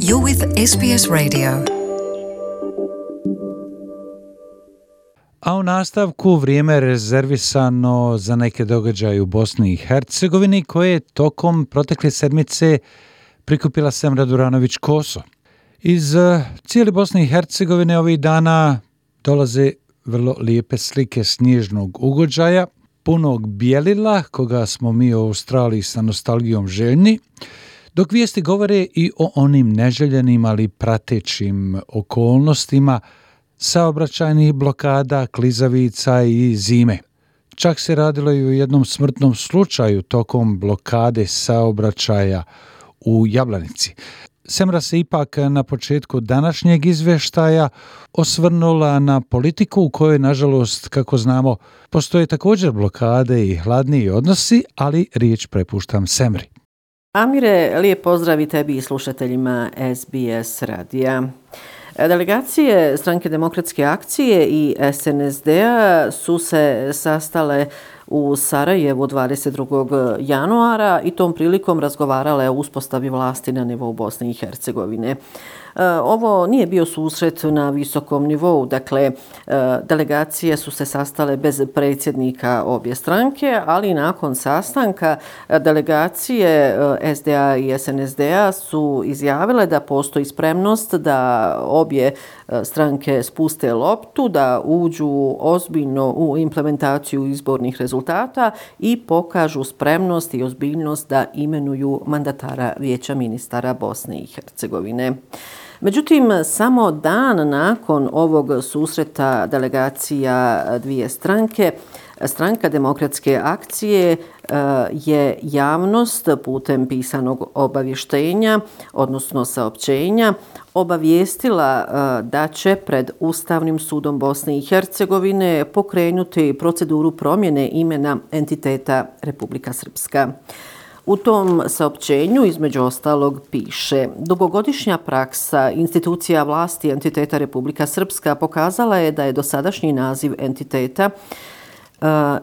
You're with SBS Radio. A u nastavku vrijeme je rezervisano za neke događaje u Bosni i Hercegovini koje je tokom protekle sedmice prikupila Semra Duranović-Koso. Iz cijele Bosne i Hercegovine ovih dana dolaze vrlo lijepe slike snježnog ugođaja, punog bijelila, koga smo mi u Australiji sa nostalgijom željni, dok vijesti govore i o onim neželjenim, ali pratećim okolnostima saobraćajnih blokada, klizavica i zime. Čak se radilo i o jednom smrtnom slučaju tokom blokade saobraćaja u Jablanici. Semra se ipak na početku današnjeg izvještaja osvrnula na politiku u kojoj, nažalost, kako znamo, postoje također blokade i hladniji odnosi, ali riječ prepuštam Semri. Amire, lijep pozdrav i tebi i slušateljima SBS radija. Delegacije Stranke demokratske akcije i SNSD-a su se sastale u Sarajevu 22. januara i tom prilikom razgovarale o uspostavi vlasti na nivou Bosne i Hercegovine. Ovo nije bio susret na visokom nivou, dakle delegacije su se sastale bez predsjednika obje stranke, ali nakon sastanka delegacije SDA i SNSD-a su izjavile da postoji spremnost da obje stranke spuste loptu, da uđu ozbiljno u implementaciju izbornih rezultata i pokažu spremnost i ozbiljnost da imenuju mandatara Vijeća ministara Bosne i Hercegovine. Međutim, samo dan nakon ovog susreta delegacija dvije stranke, Stranka demokratske akcije je javnost putem pisanog obavještenja, odnosno saopćenja, obavijestila da će pred Ustavnim sudom Bosne i Hercegovine pokrenuti proceduru promjene imena entiteta Republika Srpska. U tom saopćenju, između ostalog, piše: dugogodišnja praksa institucija vlasti entiteta Republika Srpska pokazala je da je dosadašnji naziv entiteta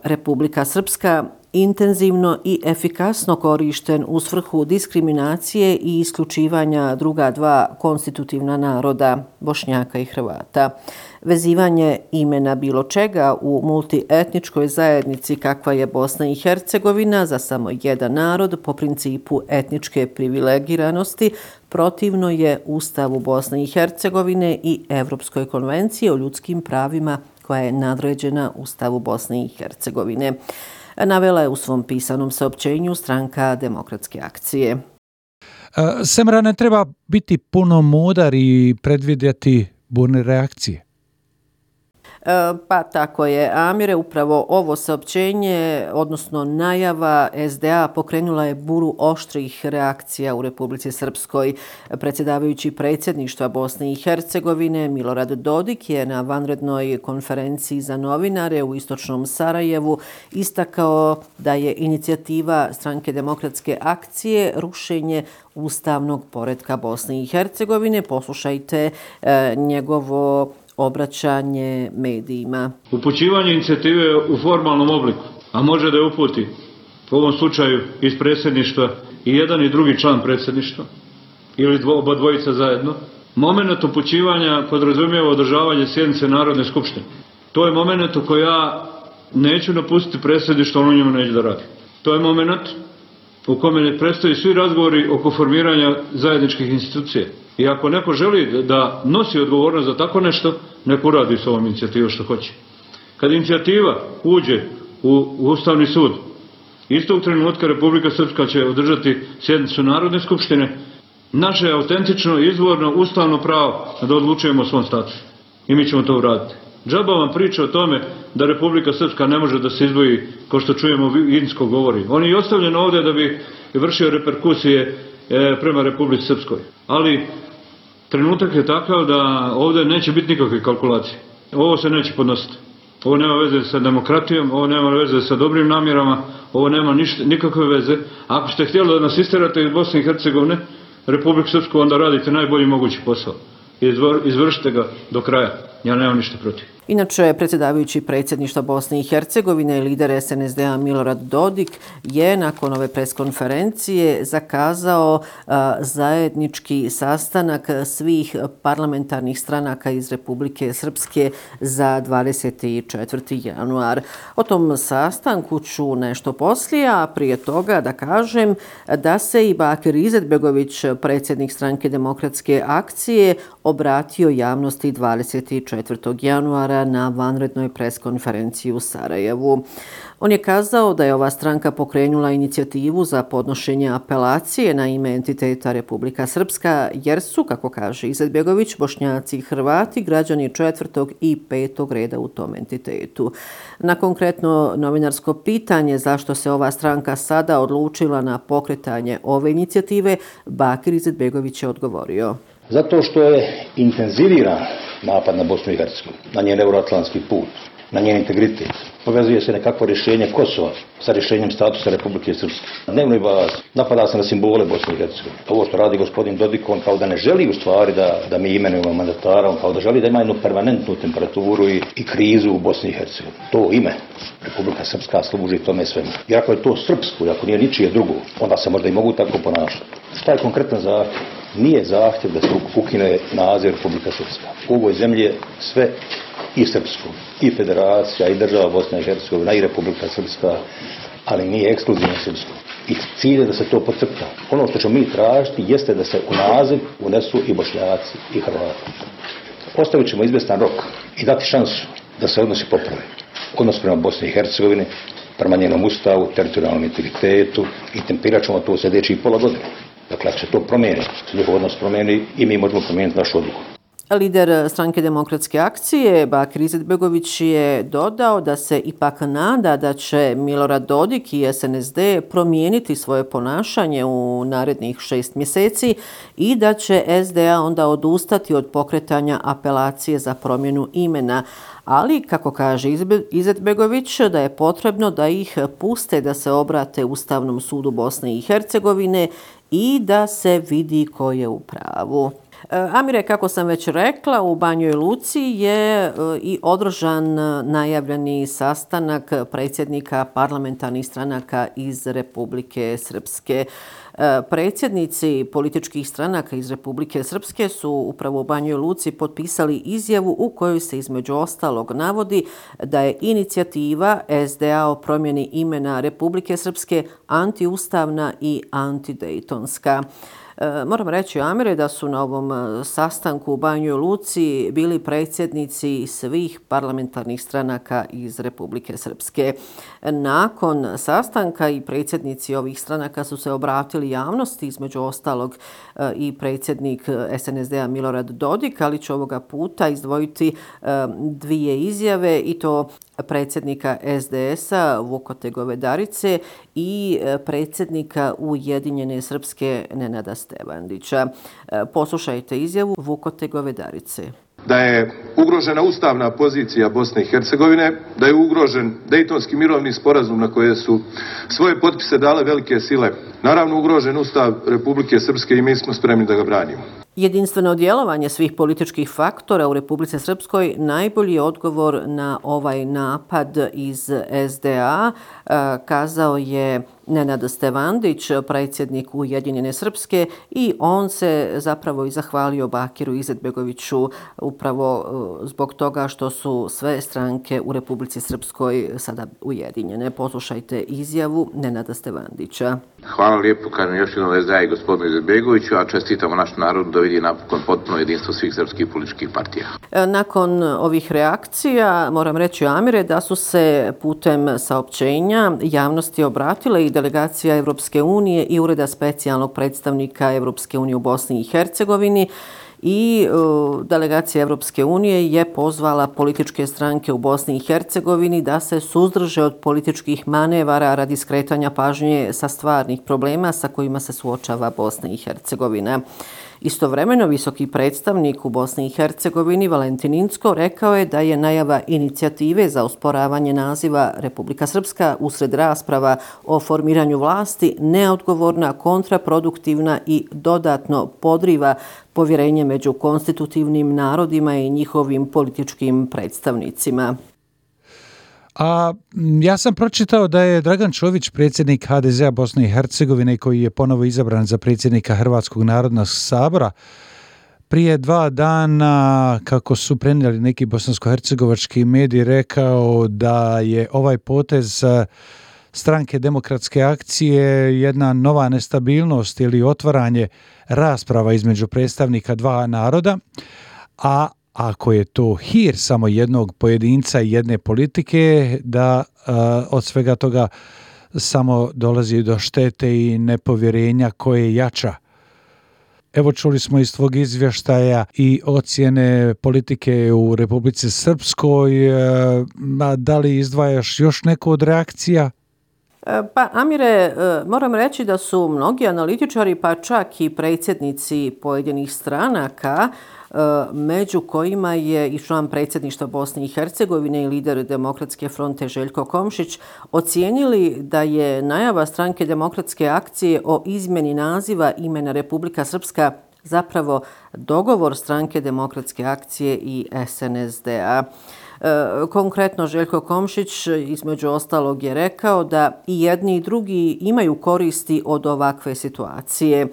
Republika Srpska intenzivno i efikasno korišten u svrhu diskriminacije i isključivanja druga dva konstitutivna naroda, Bošnjaka i Hrvata. Vezivanje imena bilo čega u multietničkoj zajednici kakva je Bosna i Hercegovina za samo jedan narod po principu etničke privilegiranosti protivno je Ustavu Bosne i Hercegovine i Evropskoj konvenciji o ljudskim pravima koja je nadređena Ustavu Bosne i Hercegovine, navela je u svom pisanom saopćenju Stranka demokratske akcije. Semra, ne treba biti puno mudar i predvidjeti burne reakcije. Pa tako je, Amire, upravo ovo saopćenje, odnosno najava SDA pokrenula je buru oštrih reakcija u Republici Srpskoj. Predsjedavajući predsjedništva Bosne i Hercegovine Milorad Dodik je na vanrednoj konferenciji za novinare u istočnom Sarajevu istakao da je inicijativa Stranke demokratske akcije rušenje ustavnog poretka Bosne i Hercegovine. Poslušajte njegovo obraćanje medijima. Upućivanje inicijative u formalnom obliku, a može da je uputi u ovom slučaju iz predsjedništva i jedan i drugi član predsjedništva ili oba dvojica zajedno, moment upućivanja podrazumijeva održavanje sjednice Narodne skupštine. To je moment u koji ja neću napustiti predsjedništvo, on u njemu neće da radi. To je moment u kome ne predstoji svi razgovori oko formiranja zajedničkih institucija. I ako neko želi da nosi odgovornost za tako nešto, neko uradi s ovom inicijativom što hoće. Kad inicijativa uđe u Ustavni sud, istog trenutka Republika Srpska će održati sjednicu Narodne skupštine. Naše je autentično, izvorno, ustavno pravo da odlučujemo o svom statusu. I mi ćemo to uraditi. Džaba vam priča o tome da Republika Srpska ne može da se izdvoji, kao što čujemo Vinsko govori. On je ostavljen ovdje da bi vršio reperkusije prema Republici Srpskoj. Ali trenutak je takav da ovdje neće biti nikakve kalkulacije. Ovo se neće podnositi. Ovo nema veze sa demokratijom, ovo nema veze sa dobrim namjerama, ovo nema nikakve veze. Ako ste htjeli da nas isterate iz Bosne i Hercegovine, Republiku Srpsku, onda radite najbolji mogući posao. Izvršite ga do kraja. Ja nemam ništa protiv. Inače, predsjedavajući predsjedništva Bosne i Hercegovine i lider SNSD-a Milorad Dodik je nakon ove preskonferencije zakazao zajednički sastanak svih parlamentarnih stranaka iz Republike Srpske za 24. januar. O tom sastanku ću nešto poslije, a prije toga da kažem da se i Bakir Izetbegović, predsjednik Stranke demokratske akcije, obratio javnosti 24. januara na vanrednoj preskonferenciji u Sarajevu. On je kazao da je ova stranka pokrenula inicijativu za podnošenje apelacije na ime entiteta Republika Srpska, jer su, kako kaže Izetbegović, Bošnjaci i Hrvati građani 4. i 5. reda u tom entitetu. Na konkretno novinarsko pitanje zašto se ova stranka sada odlučila na pokretanje ove inicijative, Bakir Izetbegović je odgovorio. Zato što je intenziviran napad na Bosnu i Hercegovinu, na njen euroatlantski put, na njen integritet. Povezuje se nekakvo rješenje Kosova sa rješenjem statusa Republike Srpske. Na dnevnoj bazi napada se na simbole Bosne i Hercegovine. Ovo što radi gospodin Dodik, on kao da ne želi u stvari da mi imenujemo mandatara, on kao da želi da ima jednu permanentnu temperaturu i krizu u Bosni i Hercegovini. To ime Republika Srpska služi tome svemu. I ako je to srpsko, i ako nije ničije drugo, onda se možda i mogu tako ponašati. Šta je konkretan zahtjev? Nije zahtjev da se ukine naziv Republika Srpska. U ovoj zemlji je sve i srpsko, i federacija, i država Bosna i Hercegovina, i Republika Srpska, ali nije ekskluzivno srpsko. I cilj je da se to podcrta. Ono što ćemo mi tražiti jeste da se u naziv unesu i Bošnjaci i Hrvati. Ostavit ćemo izvjestan rok i dati šansu da se odnosi poprave. Odnos prema Bosni i Hercegovini, prema njenom ustavu, teritorijalnom integritetu i tempirat ćemo to u sljedećih pola godine. Dakle, ako se to promijeni, se njihov odnos promijeni i mi možemo promijeniti našu odluku. Lider Stranke demokratske akcije Bakir Izetbegović je dodao da se ipak nada da će Milorad Dodik i SNSD promijeniti svoje ponašanje u narednih 6 mjeseci i da će SDA onda odustati od pokretanja apelacije za promjenu imena. Ali, kako kaže Izetbegović, da je potrebno da ih puste da se obrate Ustavnom sudu Bosne i Hercegovine i da se vidi ko je u pravu. Amire, kako sam već rekla, u Banjoj Luci je i održan najavljeni sastanak predsjednika parlamentarnih stranaka iz Republike Srpske. Predsjednici političkih stranaka iz Republike Srpske su upravo u Banjoj Luci potpisali izjavu u kojoj se između ostalog navodi da je inicijativa SDA o promjeni imena Republike Srpske antiustavna i antidejtonska. Moram reći, Amire, da su na ovom sastanku u Banjoj Luci bili predsjednici svih parlamentarnih stranaka iz Republike Srpske. Nakon sastanka i predsjednici ovih stranaka su se obratili javnosti, između ostalog i predsjednik SNSD-a Milorad Dodik, ali ću ovoga puta izdvojiti dvije izjave i to predsjednika SDS-a Vukote Govedarice i predsjednika Ujedinjene Srpske Nenada Stevandića. Poslušajte izjavu Vukote Govedarice. Da je ugrožena ustavna pozicija Bosne i Hercegovine, da je ugrožen Dejtonski mirovni sporazum na koje su svoje potpise dale velike sile. Naravno, ugrožen Ustav Republike Srpske i mi smo spremni da ga branimo. Jedinstveno djelovanje svih političkih faktora u Republici Srpskoj najbolji je odgovor na ovaj napad iz SDA, kazao je Nenad Stevandić, predsjednik Ujedinjene Srpske, i on se zapravo i zahvalio Bakiru Izetbegoviću upravo zbog toga što su sve stranke u Republici Srpskoj sada ujedinjene. Poslušajte izjavu Nenada Stevandića. Hvala lijepo, kažem još jednom SDA i gospodinu Izetbegoviću, a čestitamo naš narod da vidi napokon potpuno jedinstvo svih srpskih političkih partija. Nakon ovih reakcija, moram reći, Amire, da su se putem saopćenja javnosti obratile i delegacija Evropske unije i Ureda specijalnog predstavnika Evropske unije u Bosni i Hercegovini, i delegacija Evropske unije je pozvala političke stranke u Bosni i Hercegovini da se suzdrže od političkih manevara radi skretanja pažnje sa stvarnih problema sa kojima se suočava Bosna i Hercegovina. Istovremeno, visoki predstavnik u Bosni i Hercegovini Valentin Incko rekao je da je najava inicijative za osporavanje naziva Republika Srpska usred rasprava o formiranju vlasti neodgovorna, kontraproduktivna i dodatno podriva povjerenje među konstitutivnim narodima i njihovim političkim predstavnicima. A ja sam pročitao da je Dragan Čović, predsjednik HDZ-a Bosne i Hercegovine, koji je ponovo izabran za predsjednika Hrvatskog narodnog sabora, prije 2 dana, kako su prenijeli neki bosansko-hercegovački mediji, rekao da je ovaj potez Stranke demokratske akcije jedna nova nestabilnost ili otvaranje rasprava između predstavnika dva naroda, a ako je to hir samo jednog pojedinca i jedne politike, da od svega toga samo dolazi do štete i nepovjerenja koje jača. Evo, čuli smo iz tvog izvještaja i ocjene politike u Republici Srpskoj. Da li izdvajaš još neku od reakcija? Pa, Amire, moram reći da su mnogi analitičari, pa čak i predsjednici pojedinih stranaka, među kojima je i član predsjedništva Bosne i Hercegovine i lider Demokratske fronte Željko Komšić, ocijenili da je najava Stranke demokratske akcije o izmjeni naziva imena Republika Srpska zapravo dogovor Stranke demokratske akcije i SNSD-a. Konkretno, Željko Komšić između ostalog je rekao da i jedni i drugi imaju koristi od ovakve situacije.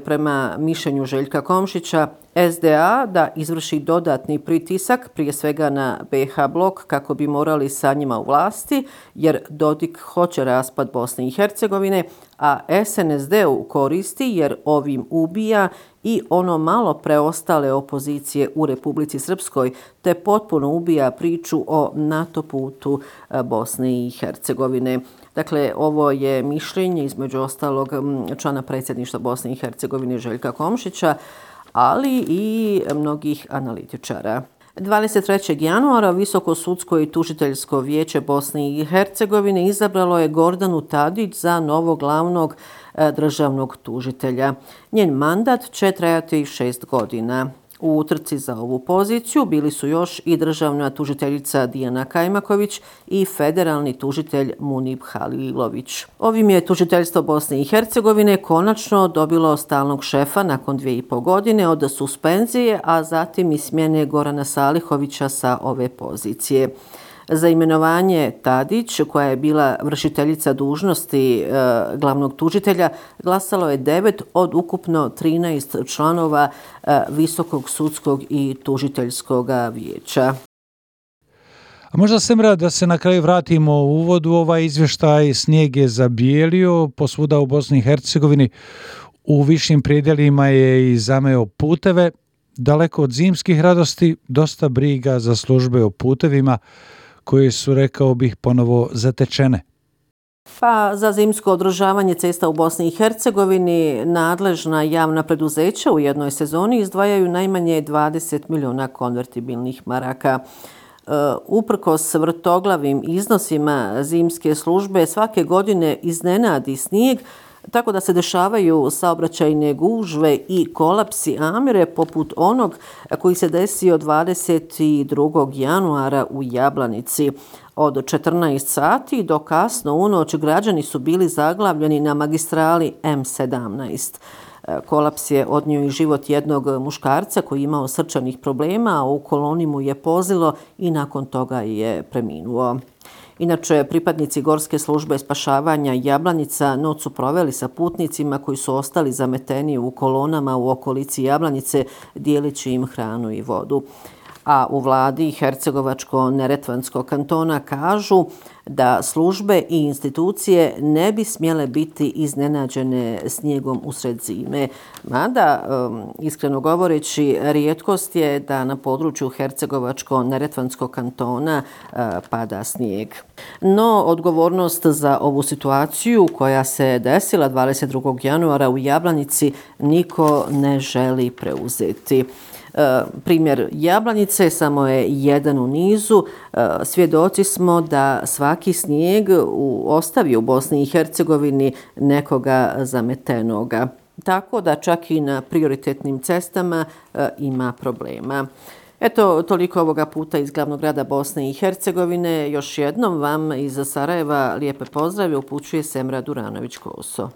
Prema mišljenju Željka Komšića, SDA da izvrši dodatni pritisak, prije svega na BiH blok, kako bi morali sa njima u vlasti, jer Dodik hoće raspad Bosne i Hercegovine, a SNSD-u koristi jer ovim ubija i ono malo preostale opozicije u Republici Srpskoj, te potpuno ubija priču o NATO putu Bosne i Hercegovine. Dakle, ovo je mišljenje između ostalog člana predsjedništva Bosne i Hercegovine Željka Komšića, ali i mnogih analitičara. 23. januara Visoko sudsko i tužiteljsko vijeće Bosne i Hercegovine izabralo je Gordanu Tadić za novog glavnog državnog tužitelja. Njen mandat će trajati 6 godina. U utrci za ovu poziciju bili su još i državna tužiteljica Dijana Kajmaković i federalni tužitelj Munib Halilović. Ovim je tužiteljstvo Bosne i Hercegovine konačno dobilo stalnog šefa nakon 2,5 godine od suspenzije, a zatim i smjene Gorana Salihovića sa ove pozicije. Za imenovanje Tadić, koja je bila vršiteljica dužnosti glavnog tužitelja, glasalo je 9 od ukupno 13 članova Visokog sudskog i tužiteljskog vijeća. A možda Semra da se na kraju vratimo u uvodu, ovaj izvještaj snijeg je zabijelio posvuda u Bosni i Hercegovini, u višim predjelima je i zameo puteve, daleko od zimskih radosti, dosta briga za službe o putevima, koje su, rekao bih, ponovo zatečene. Pa za zimsko održavanje cesta u Bosni i Hercegovini nadležna javna preduzeća u jednoj sezoni izdvajaju najmanje 20 miliona konvertibilnih maraka. Uprkos vrtoglavim iznosima zimske službe svake godine iznenadi snijeg, tako da se dešavaju saobraćajne gužve i kolapsi, Amire, poput onog koji se desio 22. januara u Jablanici. Od 14 sati do kasno u noć građani su bili zaglavljeni na magistrali M17. Kolaps je odnio i život jednog muškarca koji je imao srčanih problema, a u koloni mu je pozilo i nakon toga je preminuo. Inače, pripadnici Gorske službe spašavanja Jablanica noć su proveli sa putnicima koji su ostali zameteni u kolonama u okolici Jablanice, dijeleći im hranu i vodu. A u vladi Hercegovačko-Neretvanskog kantona kažu da službe i institucije ne bi smjele biti iznenađene snijegom usred zime. Mada, iskreno govoreći, rijetkost je da na području Hercegovačko-Neretvanskog kantona pada snijeg. No, odgovornost za ovu situaciju koja se desila 22. januara u Jablanici niko ne želi preuzeti. Primjer Jablanice samo je jedan u nizu. Svjedoci smo da svaki snijeg ostavi u Bosni i Hercegovini nekoga zametenoga. tako da čak i na prioritetnim cestama ima problema. Eto, toliko ovoga puta iz glavnog grada Bosne i Hercegovine. Još jednom vam iz Sarajeva lijepe pozdrave upućuje Semra Duranović-Koso.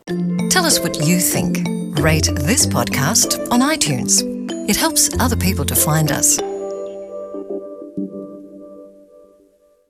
Tell us what you think. Rate this podcast on iTunes. It helps other people to find us.